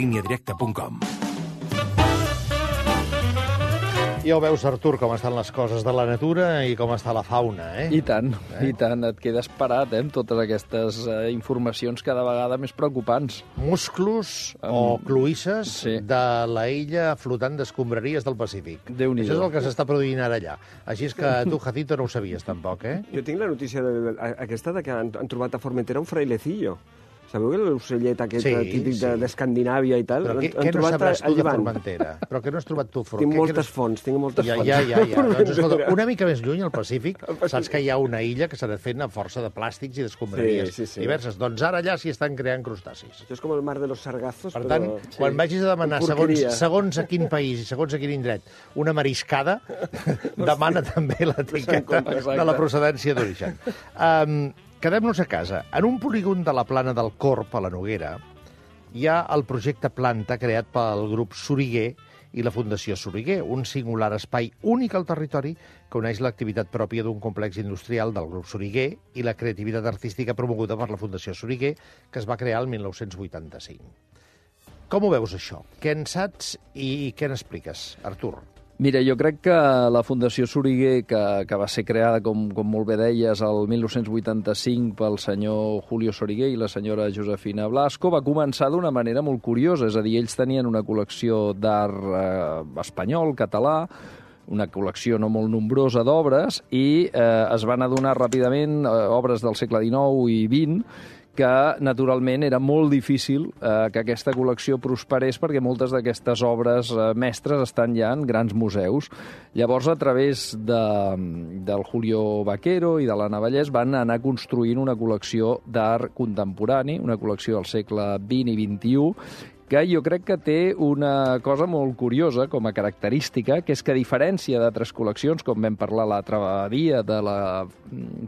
Lineadirecta.com. Ja ho veus, Artur, com estan les coses de la natura i com està la fauna, eh? I tant, et quedes parat, amb totes aquestes informacions cada vegada més preocupants. Musclos o cloïsses de la illa flotant d'escombraries del Pacífic. Déu-n'hi-do. Això és el que s'està produint ara allà. Així és que tu, Jacinto, no ho sabies tampoc, eh? Jo tinc la notícia aquesta de que han trobat a Formentera un frailecillo. Sabeu l'ocellet aquest típic d'Escandinàvia i tal? Però què no sabràs tu de Formentera? Però què no has trobat tu? Tinc moltes fonts. Ja. Doncs, escolta, una mica més lluny, al Pacífic, saps que hi ha una illa que s'ha de fer a força de plàstics i d'escombraries diverses. Doncs ara allà s'hi estan creant crustacis. Això és com el mar de los sargazos. Per tant, quan vagis a demanar, segons a quin país i segons a quin indret, una mariscada, demana també l'etiqueta de la procedència d'origen. Quedem-nos a casa. En un polígon de la plana del Corp, a la Noguera, hi ha el projecte Planta creat pel grup Soriguer i la Fundació Soriguer, un singular espai únic al territori que uneix l'activitat pròpia d'un complex industrial del grup Soriguer i la creativitat artística promoguda per la Fundació Soriguer, que es va crear el 1985. Com ho veus, això? Què en saps i què n'expliques, Artur? Mira, jo crec que la Fundació Soriguer, que va ser creada, com molt bé deies, el 1985 pel senyor Julio Soriguer i la senyora Josefina Blasco, va començar d'una manera molt curiosa. És a dir, ells tenien una col·lecció d'art espanyol, català, una col·lecció no molt nombrosa d'obres, i es van adonar ràpidament, obres del segle XIX i XX, que naturalment era molt difícil que aquesta col·lecció prosperés perquè moltes d'aquestes obres mestres estan ja en grans museus. Llavors, a través del Julio Vaquero i de l'Anna Vallès van anar construint una col·lecció d'art contemporani, una col·lecció del segle XX i XXI, que jo crec que té una cosa molt curiosa com a característica, que és que a diferència d'altres col·leccions, com vam parlar l'altre dia de la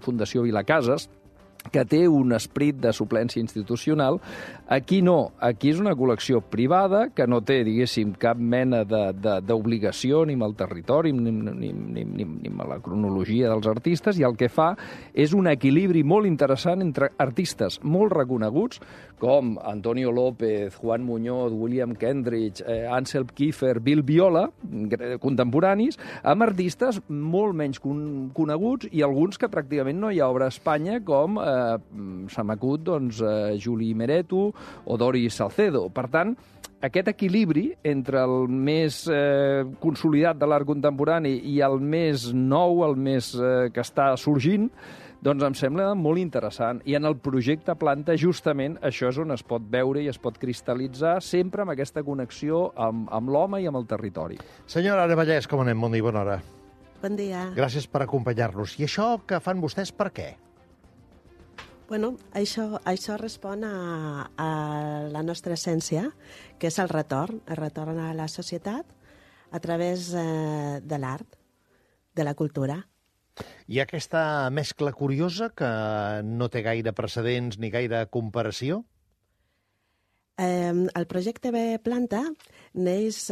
Fundació Vilacases, que té un esperit de suplència institucional, aquí no. Aquí és una col·lecció privada que no té, diguéssim, cap mena d'obligació ni amb el territori ni amb la cronologia dels artistes, i el que fa és un equilibri molt interessant entre artistes molt reconeguts, com Antonio López, Juan Muñoz, William Kendrick, Ansel Kiefer, Bill Viola, contemporanis, amb artistes molt menys coneguts i alguns que pràcticament no hi ha obra a Espanya, com se m'acut, doncs, Juli Meretu o Doris Salcedo. Per tant, aquest equilibri entre el més consolidat de l'art contemporani i el més nou, el més que està sorgint, doncs em sembla molt interessant. I en el projecte Planta, justament, això és on es pot veure i es pot cristal·litzar sempre amb aquesta connexió amb l'home i amb el territori. Senyora Anna Vallès, com anem? Bon dia i bona hora. Bon dia. Gràcies per acompanyar-nos. I això que fan vostès, per què? Bueno, això respon a la nostra essència, que és el retorn a la societat a través de l'art, de la cultura. Hi ha aquesta mescla curiosa que no té gaire precedents ni gaire comparació? El projecte Planta neix,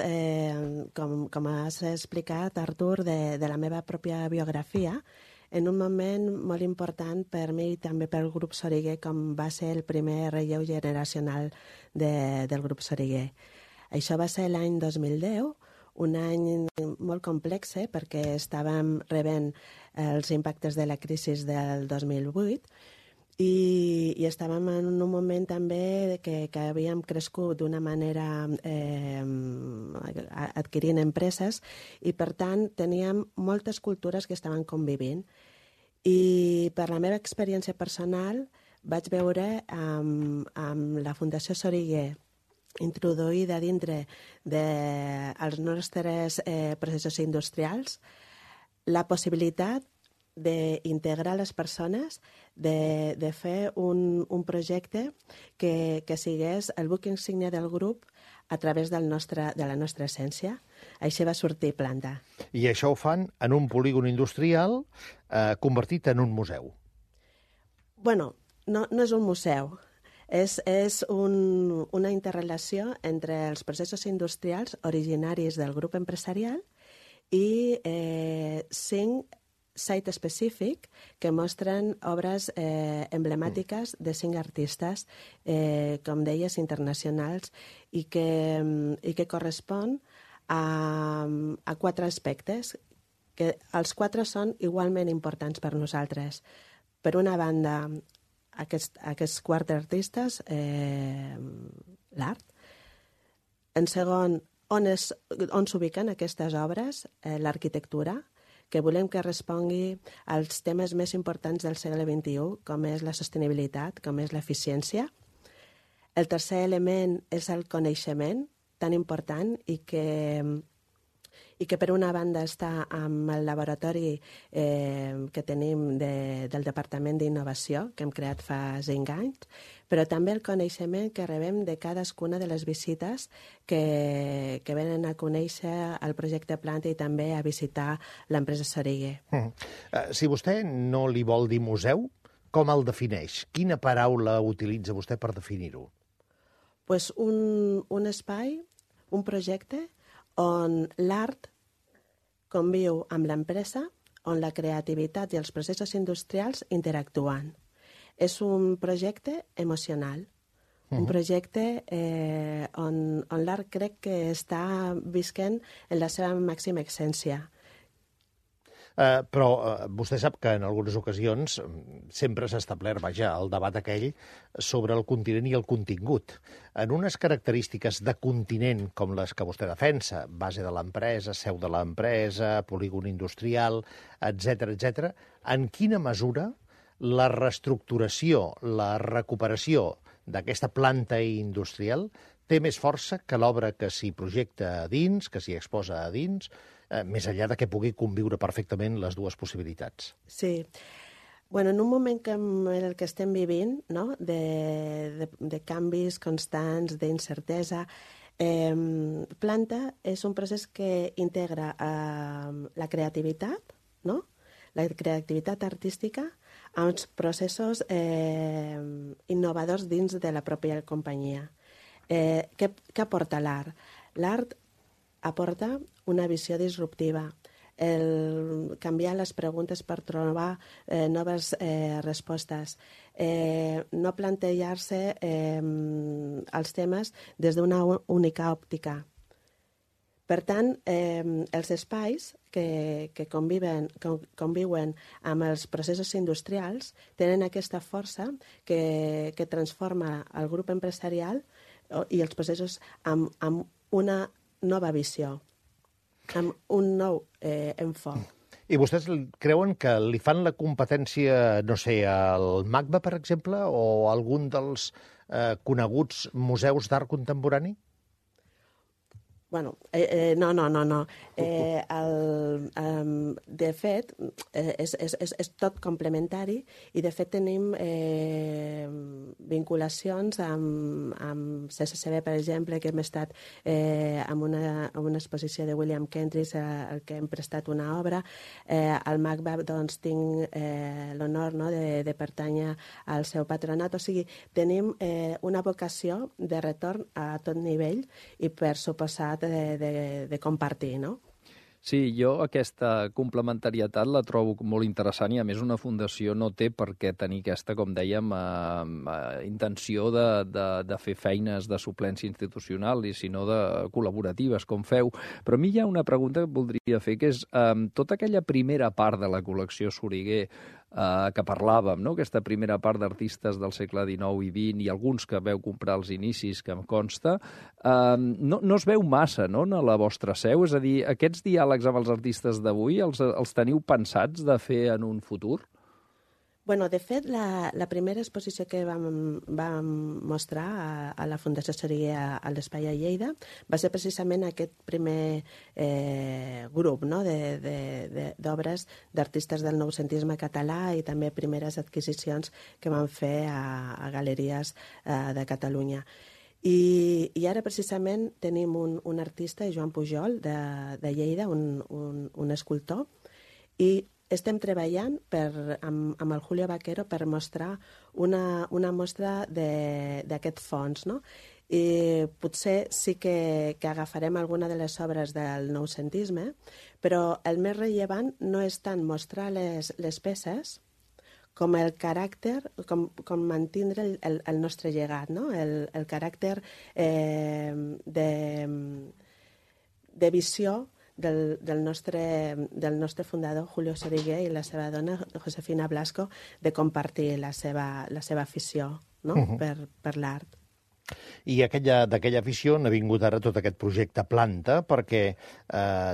com has explicat, Artur, de la meva pròpia biografia, en un moment molt important per mi i també pel grup Soriguer, com va ser el primer relleu generacional del grup Soriguer. Això va ser l'any 2010, un any molt complex, perquè estàvem rebent els impactes de la crisi del 2008 i estàvem en un moment també que havíem crescut d'una manera adquirint empreses i, per tant, teníem moltes cultures que estaven convivint. I per la meva experiència personal vaig veure amb la Fundació Soriguer introduïda dintre dels nostres processos industrials la possibilitat d'integrar les persones, de fer un projecte que sigués el buc insígnia del grup a través de la nostra essència. Així va sortir Planta. I això ho fan en un polígon industrial convertit en un museu. Bueno, no és un museu. És una interrelació entre els processos industrials originaris del grup empresarial i site específic que mostren obres emblemàtiques de 5 artistes, com deies, internacionals, i que correspon a 4 aspectes, que els 4 són igualment importants per nosaltres. Per una banda, aquests 4 artistes, l'art. En segon, on s'ubiquen aquestes obres, l'arquitectura, que volem que respongui als temes més importants del segle XXI, com és la sostenibilitat, com és l'eficiència. El tercer element és el coneixement, tan important, i que per una banda està amb el laboratori que tenim del Departament d'Innovació, que hem creat fa 5 anys, però també el coneixement que rebem de cadascuna de les visites que venen a conèixer el projecte Planta i també a visitar l'empresa Soriguer. Si vostè no li vol dir museu, com el defineix? Quina paraula utilitza vostè per definir-ho? Pues un espai, un projecte on l'art conviu amb l'empresa, on la creativitat i els processos industrials interactuen. És un projecte emocional, un projecte on l'art crec que està visquent en la seva màxima essència. Però vostè sap que en algunes ocasions sempre s'ha establert, el debat aquell sobre el continent i el contingut. En unes característiques de continent com les que vostè defensa, base de l'empresa, seu de l'empresa, polígon industrial, etc., en quina mesura la reestructuració, la recuperació d'aquesta planta industrial té més força que l'obra que s'hi projecta a dins, que s'hi exposa a dins, més enllà de que pugui conviure perfectament les dues possibilitats? Sí. Bueno, en un moment en el que estem vivint, no?, de canvis constants, d'incertesa, Planta és un procés que integra la creativitat, no?, la creativitat artística, a uns processos innovadors dins de la pròpia companyia. Què aporta l'art? L'art aporta una visió disruptiva, el canviar les preguntes per trobar noves respostes, no plantejar-se els temes des d'una única òptica. Per tant, els espais que conviuen amb els processos industrials tenen aquesta força que transforma el grup empresarial i els processos amb una nova visió, amb un nou enfoc. I vostès creuen que li fan la competència, no sé, al MACBA, per exemple, o a algun dels coneguts museus d'art contemporani? Bueno, no. De fet, és tot complementari i, de fet, tenim vinculacions amb CCCB, per exemple, que hem estat en una exposició de William Kentridge, al que hem prestat una obra. Al MACBA, doncs, tinc l'honor de pertànyer al seu patronat. O sigui, tenim una vocació de retorn a tot nivell i, per suposat, de compartir, no? Sí, jo aquesta complementarietat la trobo molt interessant i, a més, una fundació no té per què tenir aquesta, com dèiem, intenció de fer feines de suplència institucional, sinó de col·laboratives, com feu. Però a mi hi ha una pregunta que voldria fer, que és tota aquella primera part de la col·lecció Soriguer que parlàvem, no?, aquesta primera part d'artistes del segle XIX i XX i alguns que veu comprar als inicis, que em consta, no es veu massa, no?, en la vostra seu? És a dir, aquests diàlegs amb els artistes d'avui els teniu pensats de fer en un futur? Bueno, de fet, la primera exposició que vam mostrar a la Fundació Soriguer a l'Espai a Lleida va ser precisament aquest primer grup, no?, d'obres d'artistes del noucentisme català i també primeres adquisicions que van fer a galeries de Catalunya. I ara precisament tenim un artista, Joan Pujol, de Lleida, un escultor, i estem treballant amb el Julio Vaquero per mostrar una mostra d'aquest fons, no? i potser sí que agafarem alguna de les obres del noucentisme, però el més rellevant no és tant mostrar les peces com el caràcter, com mantindre el nostre llegat, no? El caràcter de visió del nostre fundador, Julio Soriguer, i la seva dona, Josefina Blasco, de compartir la seva afició, no? per l'art. I d'aquella afició n'ha vingut ara tot aquest projecte Planta, perquè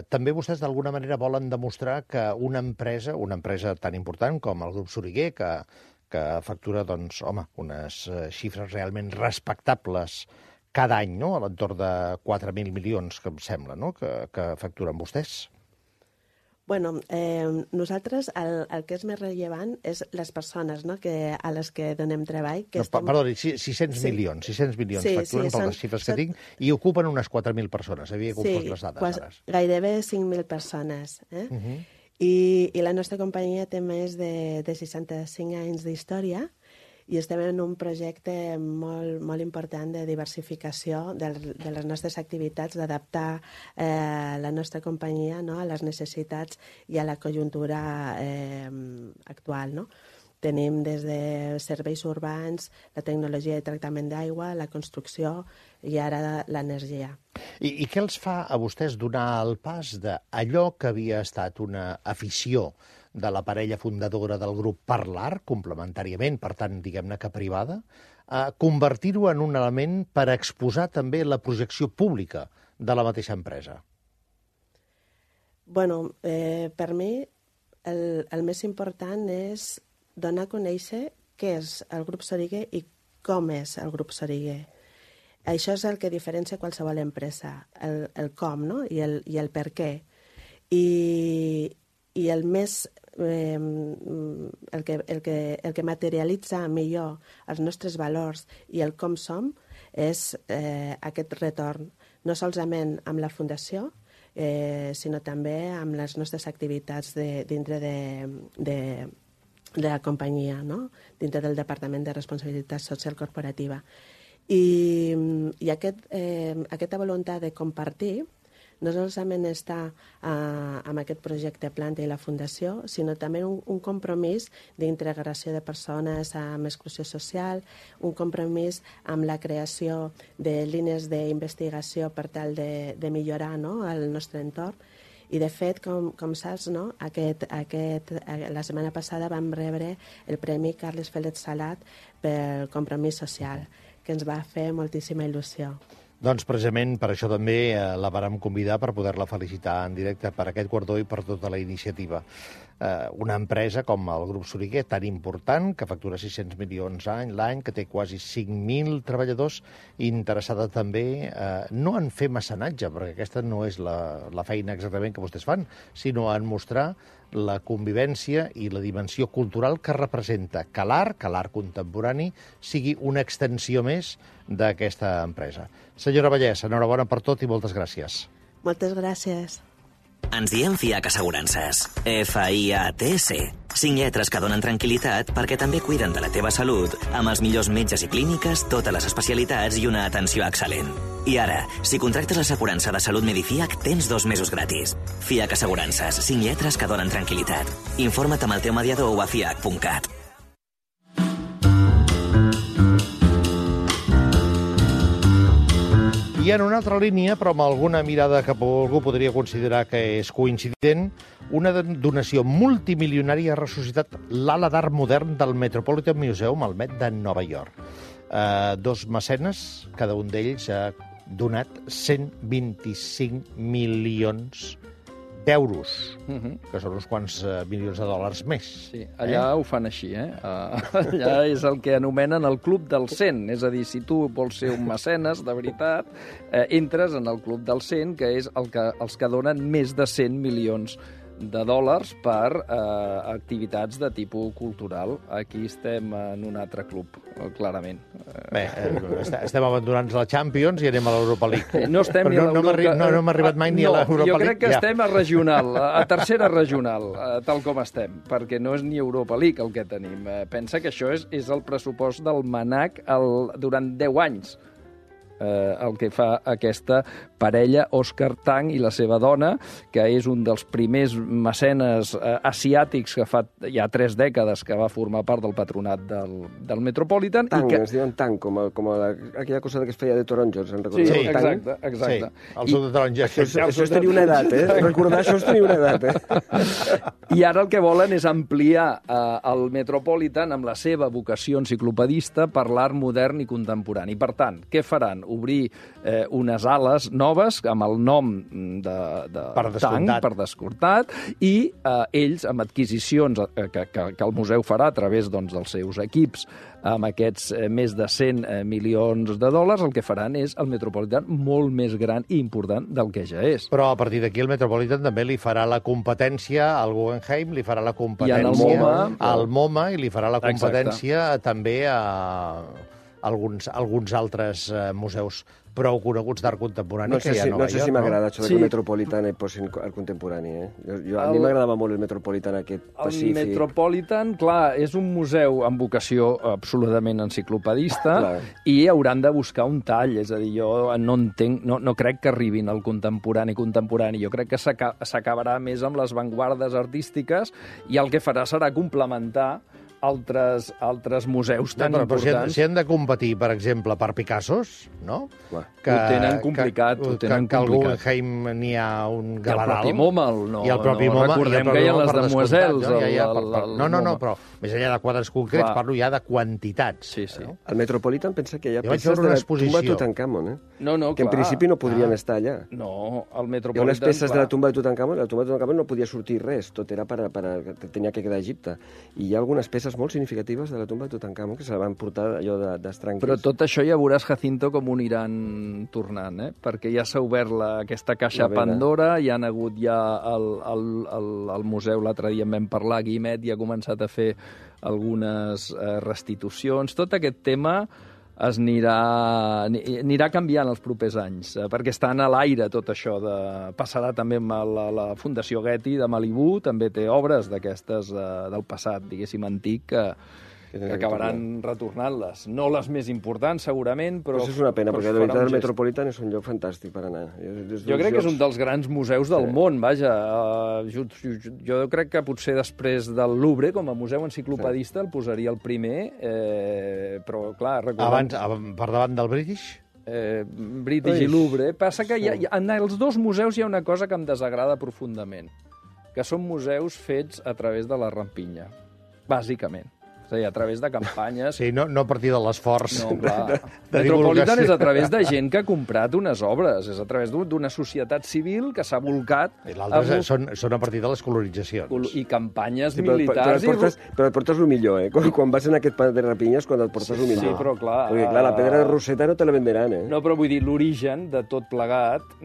també vostès d'alguna manera volen demostrar que una empresa tan important com el grup Soriguer, que factura, doncs, home, unes xifres realment respectables cada any, no?, a l'entorn de 4.000 milions, que em sembla, no?, que facturen vostès. Bueno, nosaltres el que és més rellevant és les persones, no?, a les que donem treball. Perdoni, 600 milions facturen per les xifres que tinc, i ocupen unes 4.000 persones. Havia confós les dades, ara. Gairebé 5.000 persones. I la nostra companyia té més de 65 anys d'història, i estem en un projecte molt important de diversificació de les nostres activitats, d'adaptar la nostra companyia, no?, a les necessitats i a la conjuntura actual, no? Tenim des de serveis urbans, la tecnologia de tractament d'aigua, la construcció i ara l'energia. I què els fa a vostès donar el pas d'allò que havia estat una afició de la parella fundadora del grup per l'art, complementàriament, per tant, diguem-ne que privada, a convertir-ho en un element per exposar també la projecció pública de la mateixa empresa? Bueno, per mi el més important és donar a conèixer què és el grup Soriguer i com és el grup Soriguer. Això és el que diferencia qualsevol empresa, el com, no?, i el per què. I el més el que materialitza millor els nostres valors i el com som és aquest retorn, no solament amb la Fundació, sinó també amb les nostres activitats dintre de la companyia, no?, dintre del Departament de Responsabilitat Social Corporativa. I aquesta voluntat de compartir no solament està amb aquest projecte Planta i la Fundació, sinó també un compromís d'integració de persones amb exclusió social, un compromís amb la creació de línies d'investigació per tal de millorar, no?, el nostre entorn. I, de fet, com saps, no?, la setmana passada vam rebre el Premi Carles Félix Salat pel compromís social, que ens va fer moltíssima il·lusió. Doncs precisament per això també la vàrem convidar per poder-la felicitar en directe per aquest guardó i per tota la iniciativa. Una empresa com el grup Soriguer, tan important, que factura 600 milions l'any, que té quasi 5.000 treballadors, interessada també no en fer mecenatge, perquè aquesta no és la feina exactament que vostès fan, sinó en mostrar la convivència i la dimensió cultural que representa que l'art contemporani, sigui una extensió més d'aquesta empresa. Senyora Vallès, enhorabona per tot i moltes gràcies. Moltes gràcies. Ens diem FIAC Assegurances. F-I-A-T-C. 5 lletres que donen tranquil·litat perquè també cuiden de la teva salut amb els millors metges i clíniques, totes les especialitats i una atenció excel·lent. I ara, si contractes l'assegurança de salut Medifiac, tens 2 mesos gratis. FIAC Assegurances. 5 lletres que donen tranquil·litat. Informa't amb el teu mediador o a fiac.cat. I en una altra línia, però amb alguna mirada que algú podria considerar que és coincident, una donació multimilionària ha ressuscitat l'ala d'art modern del Metropolitan Museum, al Met de Nova York. 2 mecenes, cada un d'ells ha donat 125 milions d'euros, que són uns quants milions de dòlars més. Sí, allà ho fan així, Allà és el que anomenen el Club del 100, és a dir, si tu vols ser un mecenes, de veritat, entres en el Club del 100, que és els que donen més de 100 milions de dòlars per activitats de tipus cultural. Aquí estem en un altre club, clarament. Bé, estem abandonant la Champions i anem a l'Europa League. No estem ni a l'Europa... No hem arribat mai ni a l'Europa League. Jo crec que estem a regional, a tercera regional, tal com estem, perquè no és ni Europa League el que tenim. Pensa que això és el pressupost del MNAC durant 10 anys. el que fa aquesta parella, Òscar Tang i la seva dona, que és un dels primers mecenes asiàtics que fa ja 3 dècades que va formar part del patronat del Metropolitan. Tang, es diuen Tang, com aquella cosa que es feia de taronjos, en recordeu? Sí, exacte. Sí, el sud de taronja. Això és tenir una edat, recordar això és tenir una edat, I ara el que volen és ampliar el Metropolitan amb la seva vocació enciclopedista per l'art modern i contemporani. Per tant, què faran? Obrir unes ales noves amb el nom de Tang, per descomptat, i ells, amb adquisicions que el museu farà a través dels seus equips, amb aquests més de 100 milions de dòlars, el que faran és el Metropolitan molt més gran i important del que ja és. Però a partir d'aquí el Metropolitan també li farà la competència al Guggenheim, li farà la competència al MoMA i li farà la competència també a alguns altres museus prou coneguts d'art contemporani que hi ha a Nova York. No sé si m'agrada això que el Metropolitan posin art contemporani. A mi m'agradava molt el Metropolitan aquest pacífic. El Metropolitan, clar, és un museu amb vocació absolutament enciclopedista i hauran de buscar un tall. És a dir, jo no crec que arribin al contemporani. Jo crec que s'acabarà més amb les vanguardes artístiques i el que farà serà complementar altres museus tan importants. Però si han de competir, per exemple, per Picassos, no? Ho tenen complicat. Que al Guggenheim n'hi ha un galeral. I el propi MoMA, no? I el propi MoMA. Recordem que hi ha les demoiselles. No, però més enllà de quadres concrets, parlo ja de quantitats. Sí. El Metropolitan pensa que hi ha peces de la tumba de Tutankamon, No, que en principi no podrien estar allà. No, el Metropolitan... Hi ha unes peces de la tumba de Tutankamon, la tumba de Tutankamon no podia sortir res, tot era tenia que quedar a Egipte. I hi ha algunes peces molt significatives de la tumba de Tutankamon que se la van portar allò d'estranquers. Però tot això ja veuràs, Jacinto, com ho aniran tornant, perquè ja s'ha obert aquesta caixa Pandora, hi han hagut ja al museu, l'altre dia en vam parlar, Guimet ja ha començat a fer algunes restitucions. Tot aquest tema anirà canviant els propers anys, perquè està a l'aire tot això. Passarà també amb la Fundació Getty de Malibú, també té obres d'aquestes del passat, diguéssim, antic, que acabaran retornant-les. No les més importants, segurament, però... És una pena, perquè de veritat el Metropolitan és un lloc fantàstic per anar. Jo crec que és un dels grans museus del món, vaja. Jo crec que potser després del Louvre, com a museu enciclopedista, el posaria el primer, però, clar... Abans, per davant del British? British i Louvre. Passa que en els dos museus hi ha una cosa que em desagrada profundament, que són museus fets a través de la rampinya, bàsicament. És a dir, a través de campanyes... Sí, no a partir de l'esforç. No, clar. Metropolitan és a través de gent que ha comprat unes obres, és a través d'una societat civil que s'ha volcat... I l'altre són a partir de les coloritzacions. I campanyes militars... Però et portes el millor, Quan vas en aquest pas de rapinyes, quan et portes el millor. Sí, però clar... Perquè, clar, la pedra de Rosetta no te la venderan, No, però vull dir, l'origen de tot plegat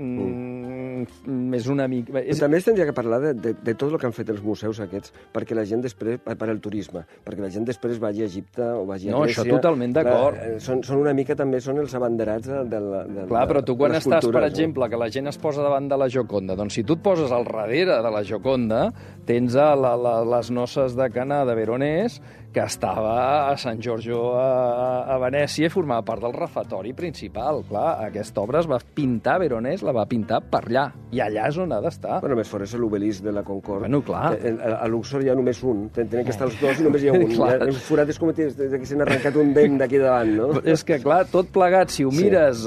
és una mica... També es tindria que parlar de tot el que han fet els museus aquests, perquè la gent després... per al turisme, perquè la gent després vagi a Egipte o vagi a Grècia... No, això totalment d'acord. Són una mica, també, són els abanderats de la Clar, però tu quan estàs, per exemple, que la gent es posa davant de la Gioconda, doncs si tu et poses al darrere de la Gioconda, tens les noces de Cana de Veronès, que estava a Sant Giorgio a Venècia i formava part del refectori principal. Clar, aquesta obra es va pintar, Veronès la va pintar per allà, i allà és on ha d'estar. Bueno, més fora és l'obelisc de la Concorde. Bueno, clar. A Luxor hi ha només un, tenen que estar els dos i només hi ha un. El forat és com que s'han arrencat un dent d'aquí davant, no? És que, clar, tot plegat, si ho mires...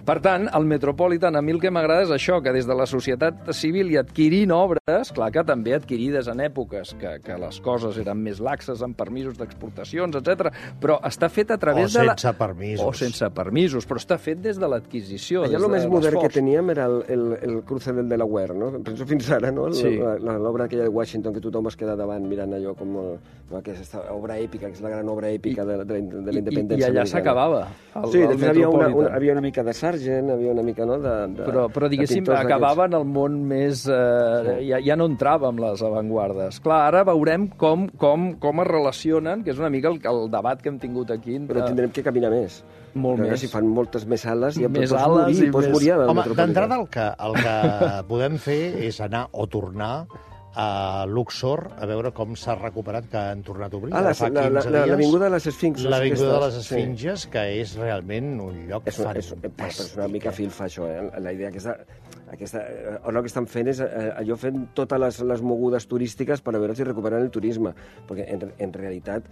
Per tant, el Metropolitan, a mi el que m'agrada és això, que des de la societat civil i adquirint obres, clar que també adquirides en èpoques que les coses eren més laxes, amb permisos d'exportacions, etc. Però està fet a través de... O sense permisos. O sense permisos, però està fet des de l'adquisició. Allà el més modern que teníem era el cruce del Delaware, no? Penso fins ara, no? L'obra aquella de Washington, que tothom es queda davant mirant allò com aquesta obra èpica, que és la gran obra èpica de la independència. I allà s'acabava. Sí, després havia una mica de Sargent, havia una mica, no? Però diguéssim, acabava en el món més... Ja no entrava amb les avantguardes. Clar, ara veurem com es relacionen, que és una mica el debat que hem tingut aquí. Però tindrem que caminar més. Molt més. Si fan moltes més ales, ja pots morir. Home, d'entrada el que podem fer és anar o tornar a Luxor, a veure com s'ha recuperat, que han tornat a obrir. L'avinguda de les Esfinxes. L'avinguda de les Esfinxes, que és realment un lloc fantàstic. És una mica filfa, això, la idea ara el que estan fent és allò fent totes les mogudes turístiques per a veure si recuperen el turisme, perquè en realitat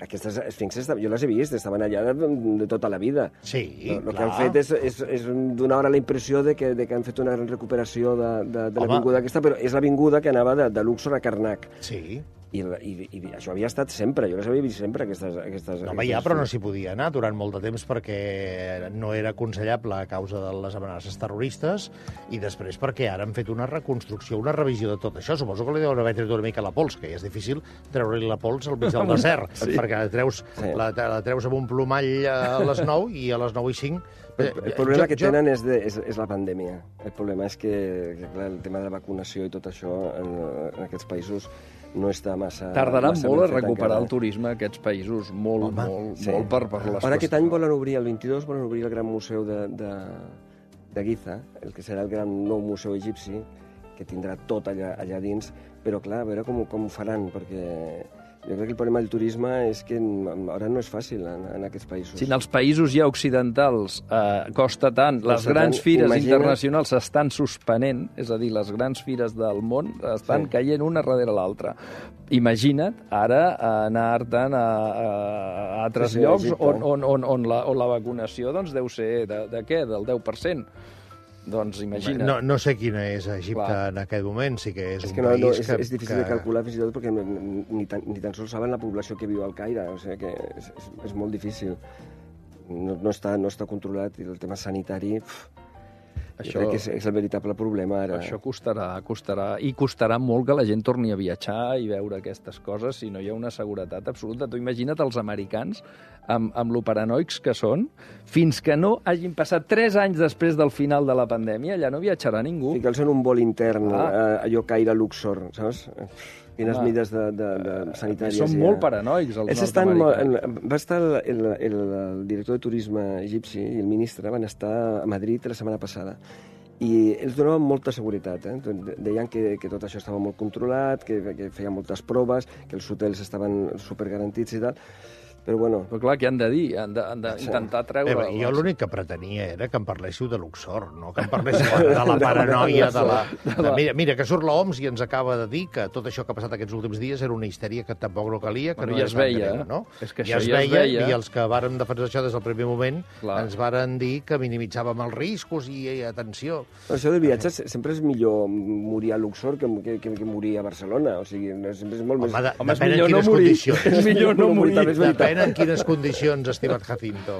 aquestes esfinxes jo les he vist, estaven allà de tota la vida. Sí, el que han fet és donar ara la impressió de que han fet una gran recuperació de l'avinguda aquesta, però és l'avinguda que anava de Luxor a Karnak. Sí. I això havia estat sempre, jo les havia vist sempre, aquestes No, però no s'hi podia anar durant molt de temps perquè no era aconsellable a causa de les amenaces terroristes i després perquè ara han fet una reconstrucció, una revisió de tot això. Suposo que li deuen haver tret una mica la pols, que és difícil treure-li la pols al mig del desert, perquè la treus amb un plomall a les 9 i a les 9 i 5... El problema que tenen és la pandèmia. El problema és que clar, el tema de la vacunació i tot això en aquests països no està massa... Tardaran molt a recuperar el turisme aquests països, molt per les qüestions. Ara aquest any volen obrir, el 22, volen obrir el gran museu de Giza, el que serà el gran nou museu egipci, que tindrà tot allà dins, però clar, a veure com ho faran, perquè... Jo crec que el problema del turisme és que ara no és fàcil en aquests països. Si en els països ja occidentals costa tant, les grans fires internacionals s'estan suspenent, és a dir, les grans fires del món estan caient una darrere l'altra. Imagina't ara anar-te'n a altres llocs on la vacunació deu ser de què? Del 10%. Doncs imagina't. No sé quina és Egipte en aquest moment, sí que és un país que... És difícil de calcular fins i tot perquè ni tan sols saben la població que viu al Caire, o sigui que és molt difícil. No està controlat i el tema sanitari... Jo crec que és el veritable problema ara. Això costarà. I costarà molt que la gent torni a viatjar i veure aquestes coses si no hi ha una seguretat absoluta. Tu imagina't els americans, amb lo paranoics que són, fins que no hagin passat 3 anys després del final de la pandèmia, allà no viatjarà ningú. Fica'ls en un vol intern, allò Caire-Luxor, saps? Quines mides sanitàries. Són molt paranoics, els nord-americans. Va estar el director de turisme egipci i el ministre van estar a Madrid la setmana passada i ells donaven molta seguretat. Deien que tot això estava molt controlat, que feien moltes proves, que els hotels estaven supergarantits i tal. Però bueno... Però clar, què han de dir? Han d'intentar treure... Jo l'únic que pretenia era que em parléssiu de Luxor, no que em parléssiu de la paranoia de la... Mira, que surt l'OMS i ens acaba de dir que tot això que ha passat aquests últims dies era una histèria que tampoc no calia, que no ja es veia, no? És que ja es veia, i els que vàrem defensar això des del primer moment ens varen dir que minimitzàvem els riscos i atenció. Això de viatges sempre és millor morir a Luxor que morir a Barcelona, o sigui, sempre és molt més... Home, depèn en quines condicions. És millor no morir. Depèn en quines condicions, estimat Jacinto.